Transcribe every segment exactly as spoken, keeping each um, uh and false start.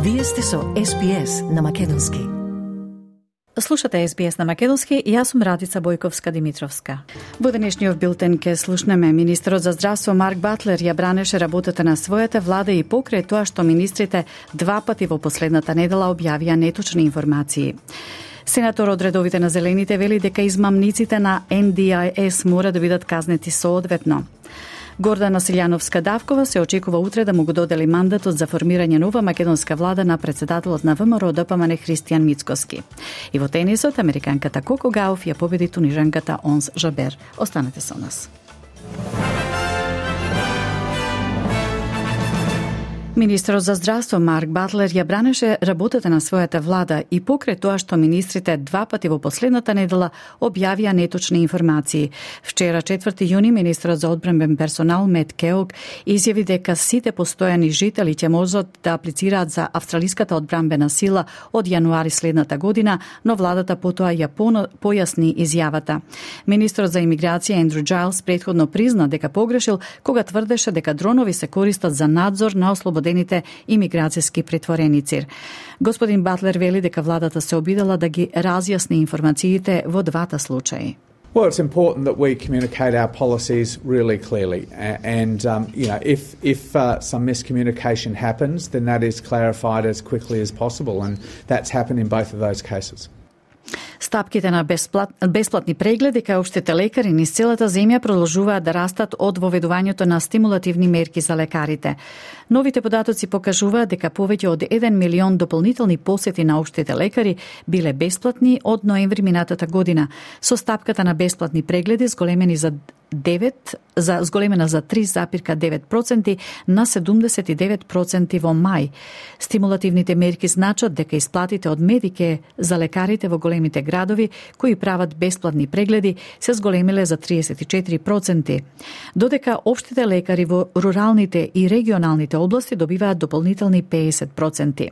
Вие сте со Ес Би Ес на Македонски. Слушате Ес Би Ес на Македонски и јас сум Радица Бојковска-Димитровска. Во денешниот билтен ке слушнеме министерот за здравство Марк Батлер ја бранеше работата на својата влада и покрај тоа што министрите два пати во последната недела објавија неточни информации. Сенатор од редовите на Зелените вели дека измамниците на Ен Ди Ај Ес мора да бидат казнети соодветно. Гордана Силјановска-Давкова се очекува утре да му го додели мандатот за формирање нова македонска влада на претседателот на Вэ Ем Ро Д П М Н Христијан Мицкоски. И во тенисот, американката Коко Гауф ја победи тунижанката Онс Жабер. Останете со нас. Министерот за здравство Марк Батлер ја бранеше работата на својата влада и покрај тоа што министрите два пати во последната недела објавија неточни информации. Вчера, четврти јуни, министерот за одбранбен персонал Мет Кеок изјави дека сите постојани жители ќе можат да аплицираат за австралиската одбранбена сила од јануари следната година, но владата потоа ја појасни изјавата. Министерот за имиграција Ендрю Џајлс претходно призна дека погрешил кога тврдеше дека дронови се користат за надзор на ослободените имиграцијски притвореници. Господин Батлер вели дека владата се обидела да ги разјасни информациите во двата случаи. Well, it's important that we communicate our policies really clearly, and um, you know, if if uh, some miscommunication happens, then that is clarified as quickly as possible, and that's happened in both of those cases. Стапките на бесплат, бесплатни прегледи кај општите лекари низ целата земја продолжуваат да растат од воведувањето на стимулативни мерки за лекарите. Новите податоци покажуваат дека повеќе од еден милион дополнителни посети на општите лекари биле бесплатни од ноември минатата година, со стапката на бесплатни прегледи зголемени за девет за зголемена за три запирка девет проценти на седумдесет и девет проценти во мај. Стимулативните мерки значат дека исплатите од Медике за лекарите во големите градови кои прават бесплатни прегледи се зголемиле за триесет и четири проценти, додека општите лекари во руралните и регионалните области добиваат дополнителни педесет проценти.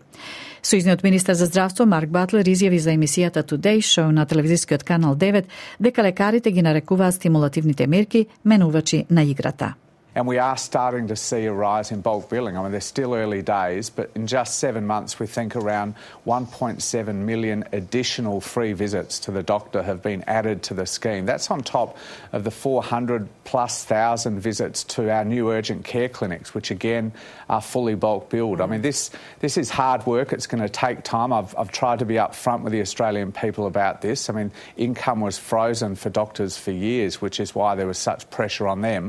Сојузниот министер за здравство Марк Батлер изјави за емисијата Today Show на телевизискиот канал девет дека лекарите ги нарекуваат стимулативните мерки менувачи на играта. And we are starting to see a rise in bulk billing. I mean, they're still early days, but in just seven months, we think around one point seven million additional free visits to the doctor have been added to the scheme. That's on top of the four hundred plus thousand visits to our new urgent care clinics, which again are fully bulk billed. I mean, this this is hard work. It's going to take time. I've, I've tried to be upfront with the Australian people about this. I mean, income was frozen for doctors for years, which is why there was such pressure on them.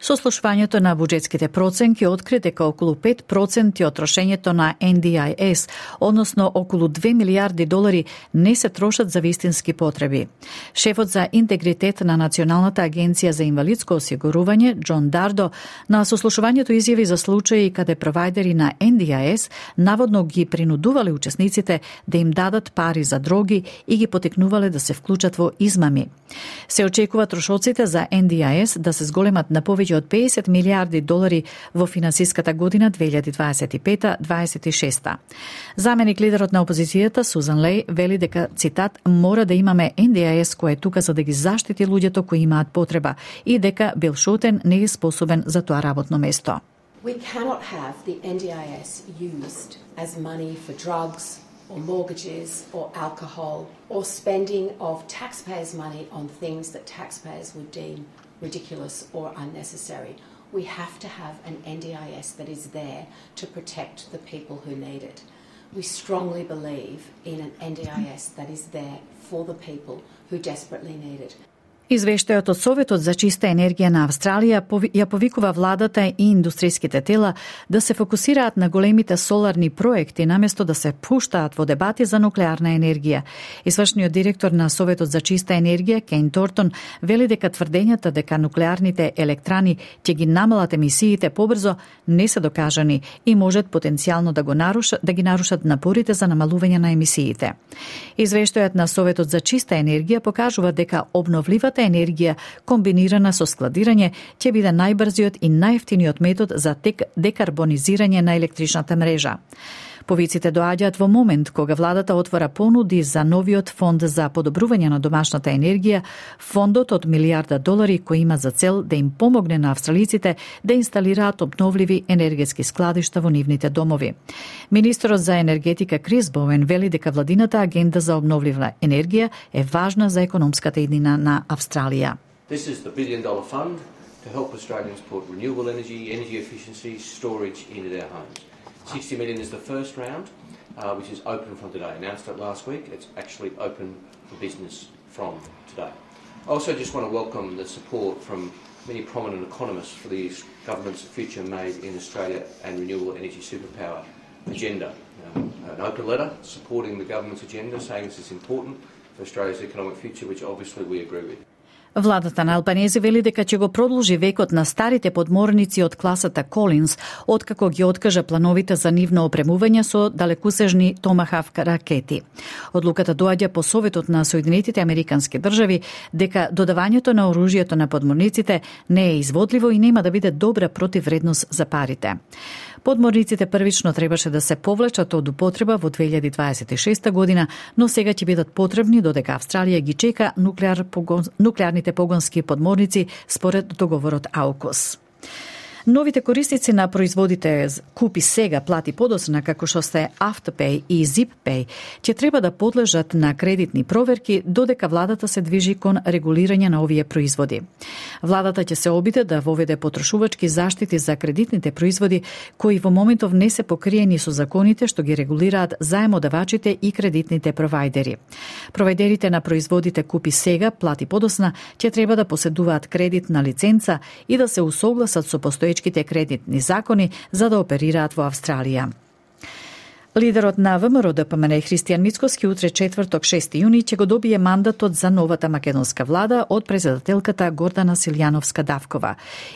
Сослушвањето на буџетските проценки откри дека околу пет проценти од трошењето на Ен Ди Ај Ес, односно околу две милијарди долари, не се трошат за вистински потреби. Шефот за интегритет на Националната агенција за инвалидско осигурување, Џон Дардо, на сослушувањето изјави за случаи каде провајдери на Ен Ди Ај Ес наводно ги принудувале учесниците да им дадат пари за дроги и ги потекнувале да се вклучат во измами. Се очекува трошоците за Ен Ди Ај Ес да се зголемат на повеќе од педесет милијарди долари во финансиската година две илјади дваесет и пета дваесет и шеста. Заменик лидерот на опозицијата Сузан Леј вели дека, цитат, мора да имаме Ен Ди Ај Ес кој е тука за да ги заштити луѓето кои имаат потреба и дека Бил Шотен не е способен за тоа работно место. We cannot have the Ен Ди Ај Ес used as money for drugs or mortgages or alcohol or spending of taxpayers' money on things that taxpayers would deem ridiculous or unnecessary. We have to have an Ен Ди Ај Ес that is there to protect the people who need it. We strongly believe in an Ен Ди Ај Ес that is there for the people who desperately need it. Извештајот од Советот за чиста енергија на Австралија ја повикува владата и индустријските тела да се фокусираат на големите соларни проекти наместо да се пуштаат во дебати за нуклеарна енергија. Извршниот директор на Советот за чиста енергија Кейн Тортон вели дека тврдењата дека нуклеарните електрани ќе ги намалат емисиите побрзо не се докажани и можат потенцијално да го нарушат да ги нарушат напорите за намалување на емисиите. Извештајот на Советот за чиста енергија покажува дека обновливата енергија комбинирана со складирање ќе биде најбрзиот и најевтиниот метод за декарбонизирање на електричната мрежа. Повиците доаѓаат во момент кога владата отвора понуди за новиот фонд за подобрување на домашната енергија, фондот од милијарда долари кој има за цел да им помогне на австралиците да инсталираат обновливи енергетски складишта во нивните домови. Министерот за енергетика Крис Боуен вели дека владината агенда за обновлива енергија е важна за економската иднина на Австралија. This is the billion dollar fund to help Australians put renewable energy, energy efficiency, storage into their homes. sixty million is the first round, uh, which is open from today. Announced it last week. It's actually open for business from today. I also just want to welcome the support from many prominent economists for the government's future made in Australia and renewable energy superpower agenda. Um, an open letter supporting the government's agenda, saying this is important for Australia's economic future, which obviously we agree with. Владата на Албанези вели дека ќе го продолжи векот на старите подморници од класата Колинс, откако ги откажа плановите за нивно опремување со далекусежни Томахавк ракети. Одлуката доаѓа по советот на Соединетите Американски држави дека додавањето на оружјето на подморниците не е изводливо и нема да биде добра противвредност за парите. Подморниците првично требаше да се повлечат од употреба во две илјади дваесет и шеста година, но сега ќе бидат потребни додека Австралија ги чека нуклеар погон, нуклеарните погонски подморници според договорот АУКУС. Новите корисници на производите Купи сега, плати подоцна, како што се Afterpay и ZipPay, ќе треба да подлежат на кредитни проверки додека владата се движи кон регулирање на овие производи. Владата ќе се обиде да воведе потрошувачки заштити за кредитните производи кои во моментов не се покриени со законите што ги регулираат заемодавачите и кредитните провајдери. Провајдерите на производите Купи сега, плати подоцна ќе треба да поседуваат кредитна лиценца и да се усогласат со постоечките кредитни закони за да оперираат во Австралија. Лидерот на ВМРО Д П М Н Христијан Мицкоски утре четврток шести јуни ќе го добие мандатот за новата македонска влада од председателката Гордана Силјановска-Давкова.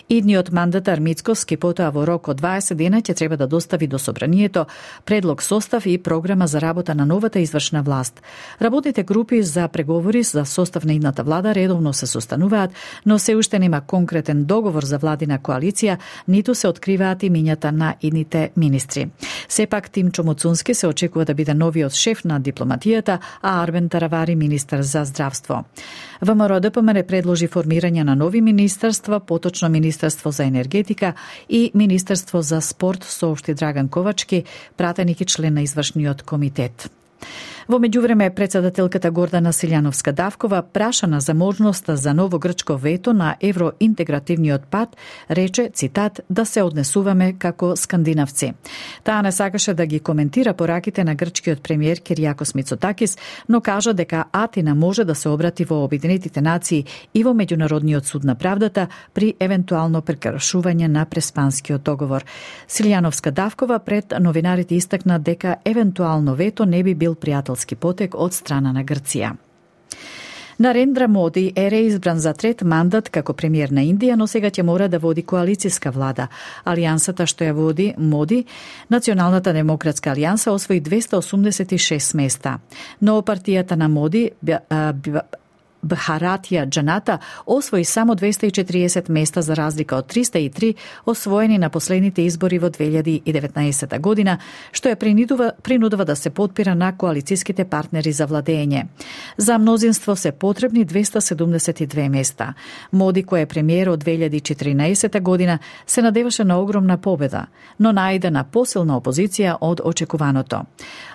Идниот мандатар Мицкоски потоа во рок од дваесет дена ќе треба да достави до собранието предлог состав и програма за работа на новата извршна власт. Работните групи за преговори за состав на идната влада редовно се состануваат, но се уште нема конкретен договор за владина коалиција, ниту се откриваат имињата на идните министри. Сепак Тимчо Муцунски се очекува да биде новиот шеф на дипломатијата, а Арбен Таравари министар за здравство. ВМРО Д П М Н предложи формирање на нови министерства, поточно Министерство за енергетика и Министерство за спорт, соопшти Драган Ковачки, пратеник и член на извршниот комитет. Во меѓувреме, председателката Гордана Силјановска-Давкова, прашана за можноста за ново грчко вето на евроинтегративниот пат, рече, цитат, да се однесуваме како скандинавци. Таа не сакаше да ги коментира пораките на грчкиот премиер Киријакос Мицотакис, но кажа дека Атина може да се обрати во Обединетите нации и во Меѓународниот суд на правдата при евентуално прекршување на Преспанскиот договор. Силјановска-Давкова пред новинарите истакна дека евентуално вето не би бил пријателски потек од страна на Грција. Нарендра Моди е реизбран за трет мандат како премиер на Индија, но сега ќе мора да води коалицијска влада. Алијансата што ја води Моди, Националната демократска алијанса, освои двесте осумдесет и шест места. Но партијата на Моди, Бхаратија Джаната, освои само двесте и четириесет места за разлика од триста и три освоени на последните избори во две илјади и деветнаесета година, што ја принудува, принудува да се потпира на коалицијските партнери за владење. За мнозинство се потребни двесте седумдесет и две места. Моди, кој е премиер од две илјади и четиринаесета година, се надеваше на огромна победа, но најде на посилна опозиција од очекуваното.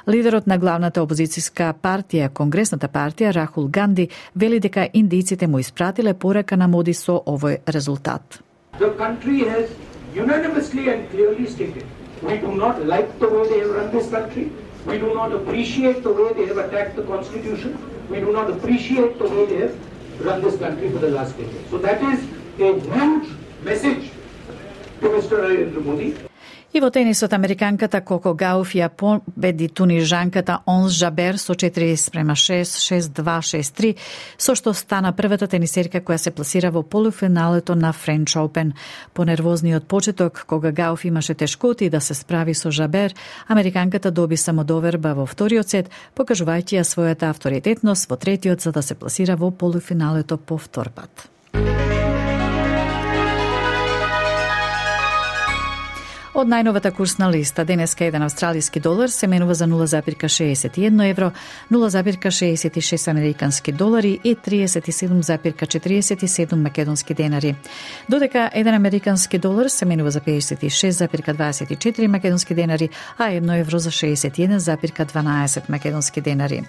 Лидерот на главната опозицијска партија, Конгресната партија, Рахул Ганди, вели дека индијците му испратиле порака на Моди со овој резултат. The country has unanimously and clearly stated we do not like the way they have run this country. We do not appreciate the way they have attacked the constitution. We do not appreciate the way they have run this country for the last decade. So that is a huge message to Mister Narendra Modi. И во тенисот американката Коко Гауф ја победи тунижанката Онс Жабер со четири спрема шест, шест два, шест три, со што стана првата тенисерка која се пласира во полуфиналето на Френч Опен. По нервозниот почеток, кога Гауф имаше тешкоти да се справи со Жабер, американката доби самодоверба во вториот сет, покажувајќи ја својата авторитетност во третиот за да се пласира во полуфиналето по втор пат. Од најновата курсна листа, денеска еден австралиски долар се менува за нула зарез шеесет и едно евро, нула зарез шеесет и шест американски долари и триесет и седум зарез четириесет и седум македонски денари. Додека еден американски долар се менува за педесет и шест зарез дваесет и четири македонски денари, а едно евро за шеесет и еден зарез дванаесет македонски денари.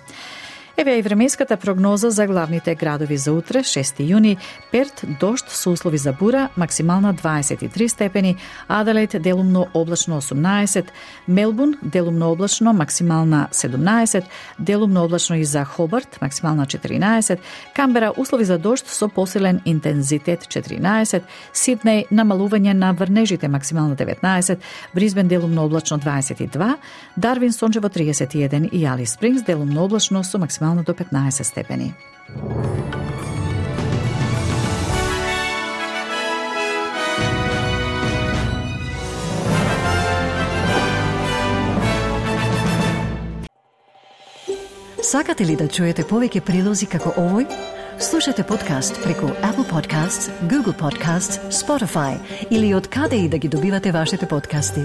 Еве и временската прогноза за главните градови за утре, шести јуни. Перт, дожд со услови за бура, максимална дваесет и три степени, Аделаид делумно облачно осумнаесет, Мелбурн делумно облачно, максимална седумнаесет, делумно облачно и за Хобарт, максимална четиринаесет, Камбера услови за дожд со посилен интензитет четиринаесет, Сиднеј намалување на врнежите, максимална деветнаесет, Бризбен делумно облачно дваесет и два, Дарвин сончево триесет и еден и Алис Спрингс делумно облачно со максимална до петнаесет степени. Сакате ли да чуете повеќе прилози како овој? Слушате подкаст преку Apple Podcasts, Google Podcasts, Spotify или од каде и да ги добивате вашите подкасти.